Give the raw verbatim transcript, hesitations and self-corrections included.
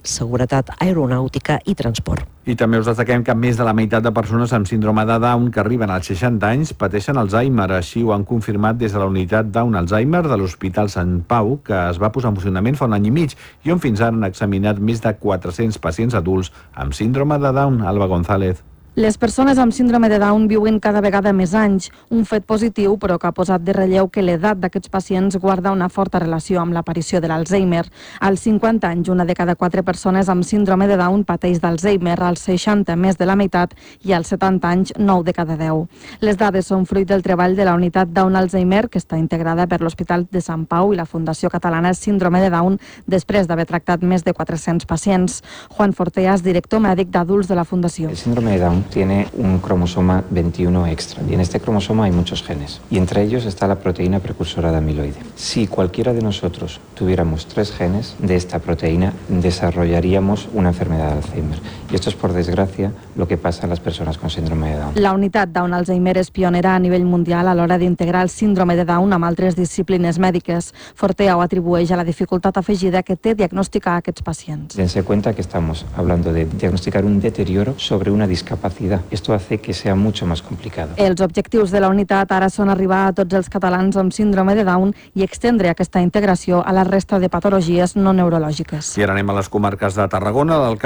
seguretat aeronàutica i transport. I també us destaquem que més de la meitat de persones amb síndrome de Down que arriben als seixanta anys pateixen Alzheimer. Així ho han confirmat des de la unitat Down Alzheimer de l'Hospital Sant Pau, que es va posar en funcionament fa un any i mig i on fins ara han examinat més de quatre-cents pacients adults amb síndrome de Down. Alba González. Les persones amb síndrome de Down viuen cada vegada més anys, un fet positiu però que ha posat de relleu que l'edat d'aquests pacients guarda una forta relació amb l'aparició de l'Alzheimer. Als cinquanta anys, una de cada quatre persones amb síndrome de Down pateix d'Alzheimer, als seixanta més de la meitat i als setanta anys nou de cada deu. Les dades són fruit del treball de la unitat Down Alzheimer, que està integrada per l'Hospital de Sant Pau i la Fundació Catalana Síndrome de Down, després d'haver tractat més de quatre-cents pacients. Juan Forteas, director mèdic d'adults de la Fundació. El síndrome de Down tiene un cromosoma veintiuno extra y en este cromosoma hay muchos genes y entre ellos está la proteína precursora de amiloide. Si cualquiera de nosotros tuviéramos tres genes de esta proteína, desarrollaríamos una enfermedad de Alzheimer y esto es, por desgracia, lo que pasa a las personas con síndrome de Down. La unitat Down Alzheimer és pionera a nivell mundial a l'hora d'integrar el síndrome de Down amb altres disciplines mèdiques. Fortea ho atribueix a la dificultat afegida que té diagnosticar aquests pacients. Dense cuenta que estamos hablando de diagnosticar un deterioro sobre una discapacidad. Esto hace que sea mucho más complicado. Els objectius de la unitat ara són arribar a tots els catalans amb síndrome de Down i extendre aquesta integració a la resta de patologies no neurològiques. I ara anem a les comarques de Tarragona.